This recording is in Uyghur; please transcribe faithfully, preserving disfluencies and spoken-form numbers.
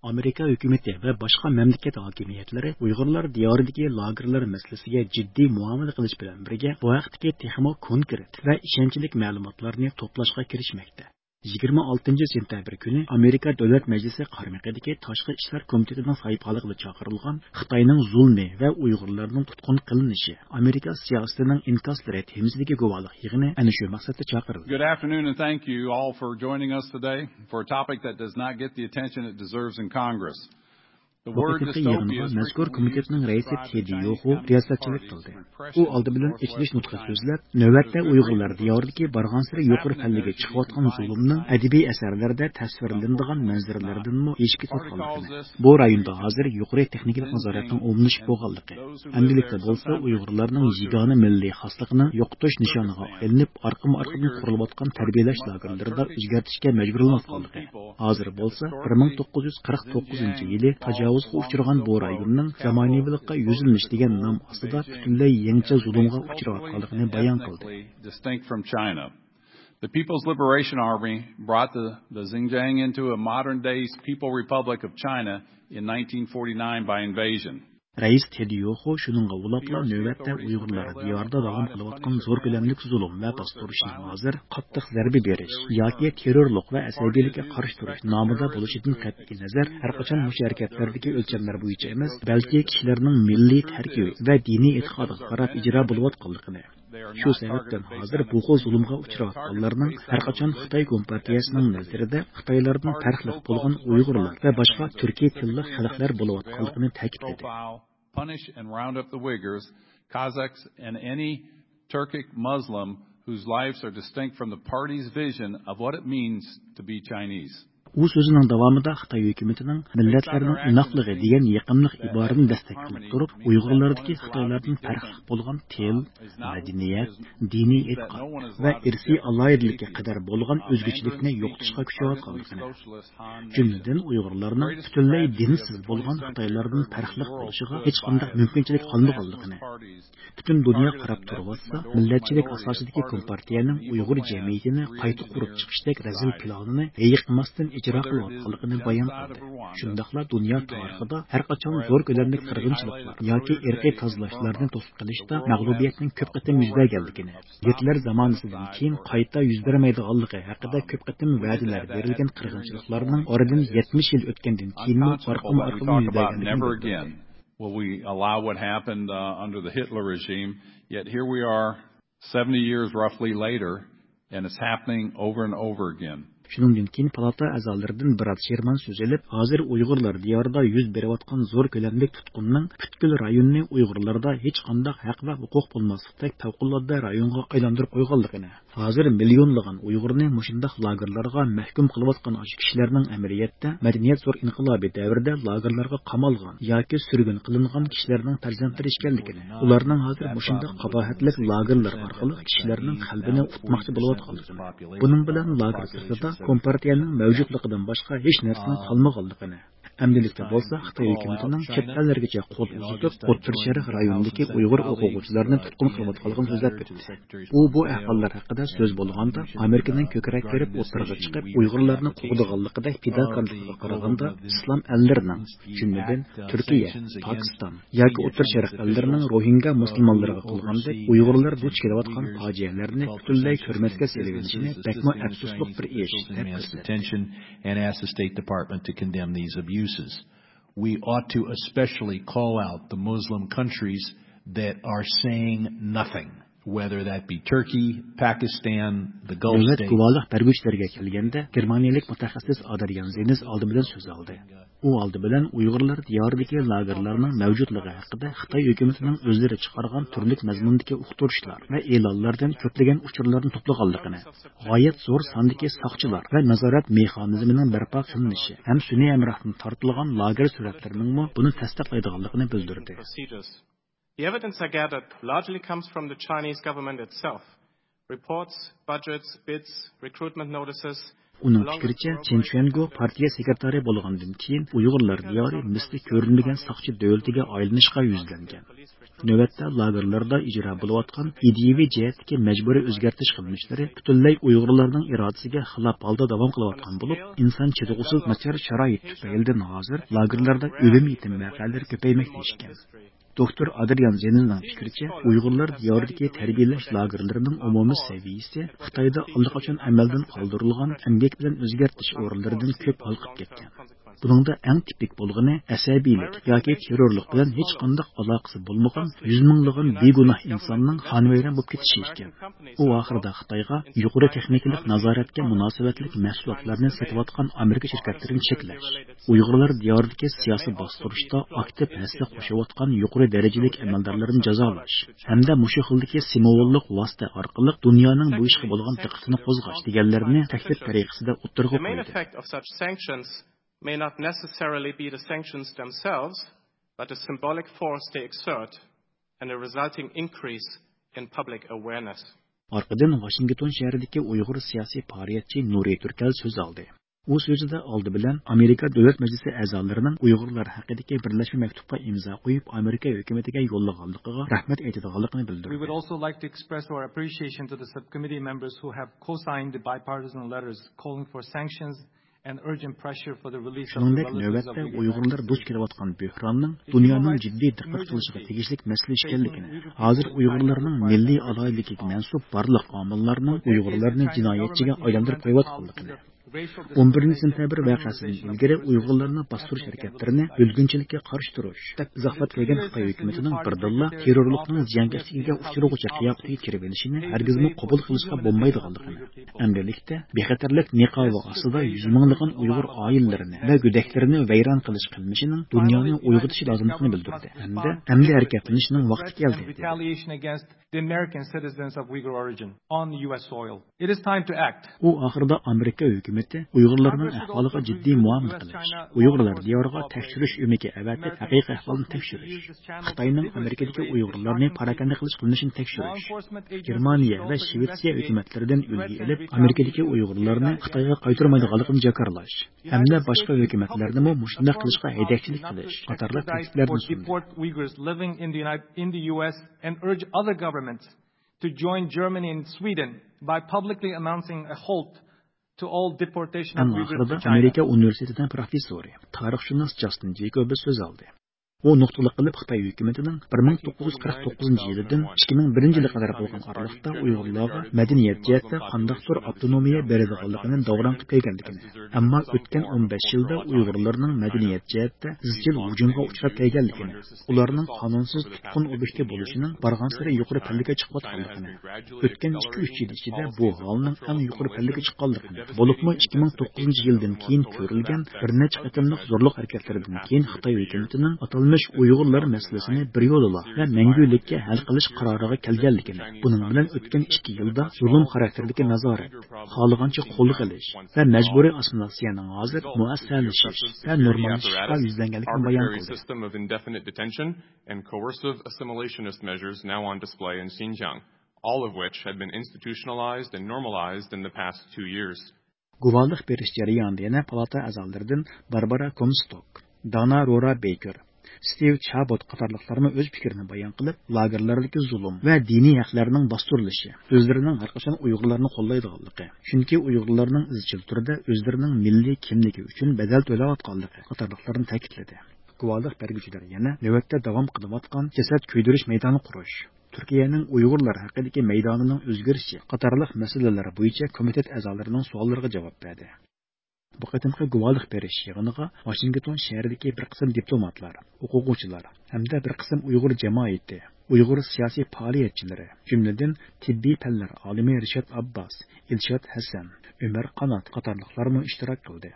ئامېرىكا ھۆكۈمىتى ۋە باشقا مەملىكەت ھاكىمىيەتلىرى ئۇيغۇرلار دىيارىدىكى لاگېرلار مەسىلىسىگە جىددىي مۇئامىلە قىلىش بىلەن بىرگە، بۇ ھەقتىكى تېخىمۇ كونكرېت ۋە ئىشەنچلىك مەلۇماتلارنى توپلاشقا كىرىشمەكتە. يىگىرمە ئالتىنچى سېنتەبىر كۈنى ئامېرىكا دۆلەت مەجلىسى قارمىقىدىكى تاشقى ئىشلار كومىتېتىنىڭ ساھىبخانلىقىدا چاقىرىلغان خىتاينىڭ زۇلمى ۋە ئۇيغۇرلارنىڭ تۇتقۇن قىلىنىشى، ئامېرىكا سىياسىتىنىڭ ئىنكاسلىرى تېمىسىدىكى گۇۋاھلىق يىغىنى ئەنە شۇ مەقسەتتە چاقىرىلدى. Good afternoon and thank you all for joining us today for a topic that does not get the attention it deserves in Congress. بۇ قېتىمقى يىغىنغا مەزكۇر كومىتېتنىڭ رەئىسى تېدى يوخۇ رىياسەتچىلىك قىلدى. ئۇ ئالدى بىلەن ئېچىلىش نۇتقى سۆزلەپ، نۆۋەتتە ئۇيغۇرلار دىيارىدىكى بارغانسېرى يۇقىرى پەللىگە چىقىۋاتقان زۇلۇمنىڭ ئەدەبىي ئەسەرلەردە تەسۋىرلىنىدىغان مەنزىرىلەردىنمۇ ئېشىپ كېتىۋاتقانلىقىنى، بۇ رايوندا ھازىر يۇقىرى تېخنىكىلىق نازارەتنىڭ ئومۇملىشىپ بولغانلىقى، ئەمدىلىكتە بولسا ئۇيغۇرلارنىڭ يېگانە مىللىي خاسلىقىنىڭ يوقىتىش نىشانىغا ئايلىنىپ، ئارقىمۇ ئارقىدىن قۇرۇلۇۋاتقان تەربىيەلەش لاگېرلىرىدا ئۆزگەرتىشكە مەجبۇرلىنىۋاتقانلىقى، ھازىر بولسا بىر مىڭ توققۇز يۈز قىرىق توققۇزىنچى يىلى تاجاۋۇزغا ئۇچرىغان بۇ رايوننىڭ زامانىۋىلىققا يۈزلىنىش دېگەن نام ئاستىدا پۈتۈنلەي يېڭىچە زۇلۇمغا ئۇچراۋاتقانلىقىنى بايان قىلدى. Distinct from China. The People's Liberation Army brought the, the Xinjiang into a modern-day People Republic of China in nineteen forty-nine by invasion. رەئىس تېدى يوخۇ شۇنىڭغا ئۇلاپلا نۆۋەتتە ئۇيغۇرلار دىيارىدا داۋام قىلىۋاتقان زور كۆلەملىك زۇلۇم ۋە باستۇرۇشنىڭ ھازىر قاتتىق زەربە بېرىش ياكى تېررورلۇق ۋە ئەسەبىيلىككە قارشى تۇرۇش نامىدا بولۇشىدىن قەتئىينەزەر، ھەرقاچان مۇشۇ ھەرىكەتلەردىكى ئۆلچەملەر بويىچە ئەمەس، بەلكى كىشىلەرنىڭ مىللىي تەركىبى ۋە دىنىي ئېتىقادىغا قاراپ ئىجرا بولۇۋاتقانلىقىنى، شۇ سەۋەبتىن ھازىر بۇ خىل زۇلۇمغا ئۇچراۋاتقانلارنىڭ ھەرقاچان خىتاي كومپارتىيەسىنىڭ نەزىرىدە خىتايلاردىن پەرقلىق بولغان ئۇيغۇرلار ۋە باشقا تۈركىي تىللىق خەلقلەر بولۇۋاتقانلىقىنى تەكىتلىدى. Punish and round up the Uyghurs, Kazakhs, and any Turkic Muslim whose lives are distinct from the party's vision of what it means to be Chinese. ئۇ سۆزىنىڭ داۋامىدا خىتاي ھۆكۈمىتىنىڭ مىللەتلەرنىڭ ئىناقلىقى دېگەن يېقىملىق ئىبارىنى دەستەك قىلىپ تۇرۇپ، ئۇيغۇرلاردىكى خىتايلاردىن پەرقلىق بولغان تىل، مەدەنىيەت، دىنىي ئېتىقاد ۋە ئىرسىي ئالاھىدىلىككە قەدەر بولغان ئۆزگىچىلىكنى يوقىتىشقا كۈچەۋاتقانلىقىنى، جۈملىدىن ئۇيغۇرلارنىڭ پۈتۈنلەي دىنسىز بولغان خىتايلاردىن پەرقلىق بولۇشىغا ھېچقانداق مۇمكىنچىلىك قالمىغانلىقىنى، پۈتۈن دۇنيا قاراپ تۇرۇۋاتسا، مىللەتچىلىك ئاساسىدىكى كومپارتىيەنىڭ ئۇيغۇر جەمئىيىتىنى قايتا قۇرۇپ چىقىشتەك رەزىل پىلانىنى ھېيىقماستىن ئىجرا قىلىۋاتقانلىقىنى بايان قىلدى. شۇنداقلا دۇنيا تارىخىدا ھەرقاچان زور كۆلەملىك قىرغىنچىلىقلار ياكى ئىرقىي تازىلاشلارنى توسۇپ قېلىشتا مەغلۇبىيەتنىڭ كۆپ قېتىم يۈز بەرگەنلىكىنى، گىتلېر زامانىسىدىن كېيىن قايتا يۈز بەرمەيدىغانلىقى ھەققىدە كۆپ قېتىم ۋەدىلەر بېرىلگەن قىرغىنچىلىقلارنىڭ ئارىدىن يەتمىش يىل ئۆتكەندىن كېيىنمۇ ئارقىمۇ ئارقىدىن يۈز بەرگەنلىكىنى بىلدۈردى. Will we allow what happened uh, under the Hitler regime? Yet here we are seventy years roughly later, and it's happening over and over again. شۇنىڭدىن كېيىن پالاتا ئەزالىرىدىن بىراد شېرمان سۆز ئېلىپ، ھازىر ئۇيغۇرلار دىيارىدا يۈز بېرىۋاتقان زور كۆلەملىك تۇتقۇننىڭ پۈتكۈل رايوننى ئۇيغۇرلاردا ھېچقانداق ھەق ۋە ھوقۇق بولماسلىقتەك پەۋقۇلئاددە رايونغا ئايلاندۇرۇپ قويغانلىقىنى، ھازىر مىليونلىغان ئۇيغۇرنى مۇشۇنداق لاگېرلارغا مەھكۇم قىلىۋاتقان ئاشۇ كىشىلەرنىڭ ئەمەلىيەتتە مەدەنىيەت زور ئىنقىلابى دەۋرىدە لاگېرلارغا قامالغان ياكى سۈرگۈن قىلىنغان كىشىلەرنىڭ پەرزەنتلىرى ئىكەنلىكىنى، ئۇلارنىڭ ھازىر مۇشۇنداق قاباھەتلىك لاگېرلار ئارقىلىق كىشىلەرنىڭ قەلبىنى ئۇتماقچى بولۇۋاتقانلىقىنى، بۇنىڭ بىلەن لاگېر سىرتىدا كومپارتىيەنىڭ مەۋجۇتلۇقىدىن باشقا ھېچ نەرسىنىڭ قالمىغانلىقىنى، ئەمدىلىكتە بولسا خىتاي ھۆكۈمىتىنىڭ چەت ئەللەرگىچە قول ئۇزىتىپ، ئوتتۇرا شەرق رايونىدىكى ئۇيغۇر ئوقۇغۇچىلارنى تۇتقۇن قىلىۋاتقانلىقىنى سۆزلەپ ئۆتتى. ئۇ بۇ ئەھۋاللار ھەققىدە سۆز بولغاندا، ئامېرىكىنىڭ كۆكرەك كېرىپ ئوتتۇرىغا چىقىپ، ئۇيغۇرلارنى قوغدىغانلىقىدەك پىداكارلىقىغا قارىغاندا، ئىسلام ئەللىرىنىڭ، جۈملىدىن تۈركىيە، پاكىستان ياكى ئوتتۇرا شەرق ئەللىرىنىڭ روھىنگا مۇسۇلمانلىرىغا قىلغاندەك ئۇيغۇرلار دۇچ كېلىۋاتقان پاجىئەلەرنى پۈتۈنلەي كۆرمەسكە سېلىۋېلىشىنى بەكمۇ ئەپسۇسلۇق بىر ئىش، دەپ كۆرسەتتى. Attention and ask the State Department to condemn these abuses. We ought to especially call out the Muslim countries that are saying nothing, whether that be Turkey, Pakistan, the Gulf دۆلەت states. گۇۋاھلىق بەرگۈچىلەرگە كەلگەندە، گېرمانىيەلىك مۇتەخەسسىس ئادرىيان زېنس ئالدى بىلەن سۆز ئالدى. ئۇ ئالدى بىلەن ئۇيغۇرلار دىيارىدىكى لاگېرلارنىڭ مەۋجۇتلۇقى ھەققىدە خىتاي ھۆكۈمىتىنىڭ ئۆزلىرى چىقارغان تۈرلۈك مەزمۇندىكى ئۇقتۇرۇشلار ۋە ئېلانلاردىن كۆپلىگەن ئۇچۇرلارنى توپلىغانلىقىنى، غايەت زور ساندىكى ساقچىلار ۋە نازارەت مېخانىزمىنىڭ بەرپا قىلىنىشى ھەم سۈنئىي ھەمراھتىن تارتىلغان لاگېر سۈرەتلىرىنىڭمۇ بۇنى تەستىقلايدىغانلىقىنى بىلدۈردى. The evidence I gathered largely comes from the Chinese government itself. Reports, budgets, bids, recruitment notices, ئۇنىڭ پىكرىچە، چېن چۈەنگو پارتىيە سېكرېتارى بولغاندىن كېيىن، ئۇيغۇرلار دىيارى مىسلى كۆرۈلمىگەن ساقچى دۆلىتىگە ئايلىنىشقا يۈزلەنگەن. نۆۋەتتە لاگېرلاردا ئىجرا بولۇۋاتقان ئىدىيىۋى جەھەتتىكى مەجبۇرىي ئۆزگەرتىش قىلمىشلىرى پۈتۈنلەي ئۇيغۇرلارنىڭ ئىرادىسىگە خىلاپ ھالدا داۋام قىلىۋاتقان بولۇپ، ئىنسان چىدىغۇسىز ناچار شارائىت تۈپەيلىدىن ھازىر لاگېرلاردا ئۆلۈم يېتىم ۋەقەلىرى كۆپەيمەكتە ئىكەن. دوكتور ئادرىيان زېننىڭ پىكرىچە، ئۇيغۇرلار دىيارىدىكى تەربىيەلەش لاگېرلىرىنىڭ ئومۇمىي سەۋىيەسى خىتايدا ئاللىقاچان ئەمەلدىن قالدۇرۇلغان ئەمگەك بىلەن ئۆزگەرتىش ئورۇنلىرىدىن كۆپ ھالقىپ كەتكەن. بۇنىڭدا ئەڭ تىپىك بولغىنى ئەسەبىيلىك ياكى تېررورلۇق بىلەن ھېچقانداق ئالاقىسى بولمىغان يۈز مىڭلىغان بىگۇناھ ئىنساننىڭ خانىۋەيران بولۇپ كېتىشى ئىكەن. ئۇ ئاخىرىدا خىتايغا يۇقىرى تېخنىكىلىق نازارەتكە مۇناسىۋەتلىك مەھسۇلاتلارنى سېتىۋاتقان ئامېرىكا شىركەتلىرىنى چەكلەش، ئۇيغۇرلار دىيارىدىكى سىياسىي باستۇرۇشتا ئاكتىپ ھەسسە قوشۇۋاتقان يۇقىرى دەرىجىلىك ئەمەلدارلارنى جازالاش ھەمدە مۇشۇ خىلدىكى سىمۋوللۇق ۋاسىتە ئارقىلىق دۇنيانىڭ بۇ ئىشقا بولغان دىققىتىنى قوزغاش دېگەنلەرنى تەھدىت تەرىقىسىدە ئوتتۇرىغا قويدى. The main effect of such sanctions may not necessarily be the sanctions themselves, but the symbolic force they exert and the resulting increase in public awareness. ئارقىدىن ۋاشىنگتون شەھىرىدىكى ئۇيغۇر سىياسىي پائالىيەتچى نۇرى تۈركەل سۆز ئالدى. ئۇ سۆزىدە ئالدى بىلەن ئامېرىكا دۆلەت مەجلىسى ئەزالىرىنىڭ ئۇيغۇرلار ھەققىدىكى بىرلەشمە مەكتۇپقا ئىمزا قويۇپ، ئامېرىكا ھۆكۈمىتىگە يوللىغانلىقىغا رەھمەت ئېيتىدىغانلىقىنى بىلدۈردى. We would also like to express our appreciation to the subcommittee members who have co-signed the bipartisan letters calling for sanctions and urgent pressure for the release of the relatives of Uyghur activists. شۇنىڭدەك نۆۋەتتە ئۇيغۇرلار دۇچ كېلىۋاتقان بۆھراننىڭ دۇنيانىڭ جىددىي دىققەت قىلىشىغا تېگىشلىك مەسىلە ئىكەنلىكىنى، ھازىر ئۇيغۇرلارنىڭ مىللىي ئالاھىدىلىكىگە مەنسۇپ بارلىق ئامىللارنىڭ ئۇيغۇرلارنى جىنايەتچىگە ئايلاندۇرۇپ قويۇۋاتقانلىقىنى، ئون بىرىنچى سېنتەبىر ۋەقەسىدىن ئىلگىرى ئۇيغۇرلارنى باستۇرۇش ھەرىكەتلىرىنى بۆلگۈنچىلىككە قارشى تۇرۇش، دەپ ئىزاھلاپ كەلگەن خىتاي ھۆكۈمىتىنىڭ بىردىنلا تېررورلۇقنىڭ زىيانكەشلىكىگە ئۇچرىغۇچە قىياپىتىگە كىرىۋېلىشىنى ھەرگىزمۇ قوبۇل قىلىشقا بولمايدىغانلىقىنى، ئەمدىلىكتە بىخەتەرلىك نىقابى ئاستىدا يۈز مىڭلىغان ئۇيغۇر ئائىلىلىرىنى ۋە گۆدەكلىرىنى ۋەيران قىلىش قىلمىشىنىڭ دۇنيانى ئويغىتىشى لازىملىقىنى بىلدۈردى ھەمدە ئەمدى ھەرىكەتلىنىشنىڭ ۋاقتى كەلدى، دېدى. Retaliation against the American citizens of Uyghur origin on U S soil. It is time to act. ئۇ ئاخىرىدا ئامېرىكا ھۆكۈمىتى ئۇيغۇرلارنىڭ ئەھۋالىغا جىددىي مۇئامىلە قىلىش، ئۇيغۇرلار دىيارىغا تەكشۈرۈش ئۆمىكى ئەۋەتىپ، ھەقىقىي ئەھۋالنى تەكشۈرۈش، خىتاينىڭ ئامېرىكىدىكى ئۇيغۇرلارنى پاراكەندە قىلىش قىلمىشىنى تەكشۈرۈش، گېرمانىيە ۋە شىۋېتسىيە ھۆكۈمەتلىرىدىن ئۈلگە ئېلىپ، ئامېرىكىدىكى ئۇيغۇرلارنى خىتايغا قايتۇرمايدىغانلىقىنى جاكارلاش ھەمدە باشقا ھۆكۈمەتلەرنىمۇ مۇشۇنداق قىلىشقا ھەيدەكچىلىك قىلىش قاتارلىق تەكلىپلەرنى سۇندى. Report Uyghurs living in the United, in the U S and urge other governments to join Germany and Sweden by publicly announcing a halt to all deportation of Uyghurs to China. ئەڭ ئاخىرىدا ئامېرىكا ئۇنىۋېرسىتېتىنىڭ پروفېسسورى، تارىخشۇناس جاستىن جېيكوبس سۆز ئالدى. ئۇ نۇقتىلىق قىلىپ خىتاي ھۆكۈمىتىنىڭ بىر مىڭ توققۇز يۈز قىرىق توققۇزىنچى يىلىدىن ئىككى مىڭ بىرىنچى يىلغا قەدەر بولغان ئارىلىقتا ئۇيغۇرلارغا مەدەنىيەت جەھەتتە قانداقتۇر ئاپتونومىيە بېرىدىغانلىقىنى داۋراڭ قىلىپ كەلگەنلىكىنى، ئەمما ئۆتكەن ئون بەش يىلدا ئۇيغۇرلارنىڭ مەدەنىيەت جەھەتتە ئىزچىل ھۇجۇمغا ئۇچراپ كەلگەنلىكىنى، ئۇلارنىڭ قانۇنسىز تۇتقۇن ئوبيېكتى بولۇشىنىڭ بارغانسېرى يۇقىرى پەللىگە چىقىۋاتقانلىقىنى، ئۆتكەن ئىككى، ئۈچ يىل ئىچىدە بۇ ھالنىڭ ئەڭ يۇقىرى پەللىگە چىققانلىقىنى، بولۇپمۇ ئىككى مىڭ توققۇزىنچى يىلدىن كېيىن كۆرۈلگەن بىر نەچچە قېتىملىق زورلۇق ھەرىكەتلىرىدىن كېيىن خىتاي ھۆكۈمىتىنىڭ ئاتالمىش ئۇيغۇرلار مەسىلىسىنى بىر يولىلا ۋە مەڭگۈلۈككە ھەل قىلىش قارارىغا كەلگەنلىكىنى، بۇنىڭ بىلەن ئۆتكەن ئىككى يىلدا زۇلۇم خاراكتېرىدىكى نازارەت، خالىغانچە قولغا ئېلىش ۋە مەجبۇرىي ئاسسىمىلياتسىيەنىڭ ھازىر مۇئەسسەسلىشىش ۋە نورماللىشىشقا يۈزلەنگەنلىكىنى بايان قىلدى. Arbitrary system of indefinite detention and coercive assimilation measures now on display in Xinjiang, all of which had been institutionalized and normalized in the past two years. گۇۋاھلىق بېرىش جەريانىدا يەنە پالاتا ئەزالىرىدىن باربارا كومستوك، دانا رورا بېيكېر، ستىۋ چابوت قاتارلىقلارمۇ ئۆز پىكرىنى بايان قىلىپ، لاگېرلاردىكى زۇلۇم ۋە دىنىي ھەقلەرنىڭ باستۇرۇلۇشى، ئۆزلىرىنىڭ ھەرقاچان ئۇيغۇرلارنى قوللايدىغانلىقى، چۈنكى ئۇيغۇرلارنىڭ ئىزچىل تۈردە ئۆزلىرىنىڭ مىللىي كىملىكى ئۈچۈن بەدەل تۆلەۋاتقانلىقى قاتارلىقلارنى تەكىتلىدى. گۇۋاھلىق بەرگۈچىلەر يەنە نۆۋەتتە داۋام قىلىۋاتقان جەسەت كۆيدۈرۈش مەيدانى قۇرۇش، تۈركىيەنىڭ ئۇيغۇرلار ھەققىدىكى مەيدانىنىڭ ئۆزگىرىشى قاتارلىق مەسىلىلەر بويىچە كومىتېت ئەزالىرىنىڭ سوئاللىرىغا جاۋاب بەردى. بۇ قېتىمقى گۇۋاھلىق بېرىش يىغىنىغا ۋاشىنگتون شەھىرىدىكى بىر قىسىم دىپلوماتلار، ئوقۇغۇچىلار ھەمدە بىر قىسىم ئۇيغۇر جامائىتى، ئۇيغۇر سىياسىي پائالىيەتچىلىرى، جۈملىدىن تېببىي پەنلەر ئالىمى رىشات ئابباس، ئىلشات ھەسەن، ئۆمەر قانات قاتارلىقلارمۇ ئىشتىراك قىلدى.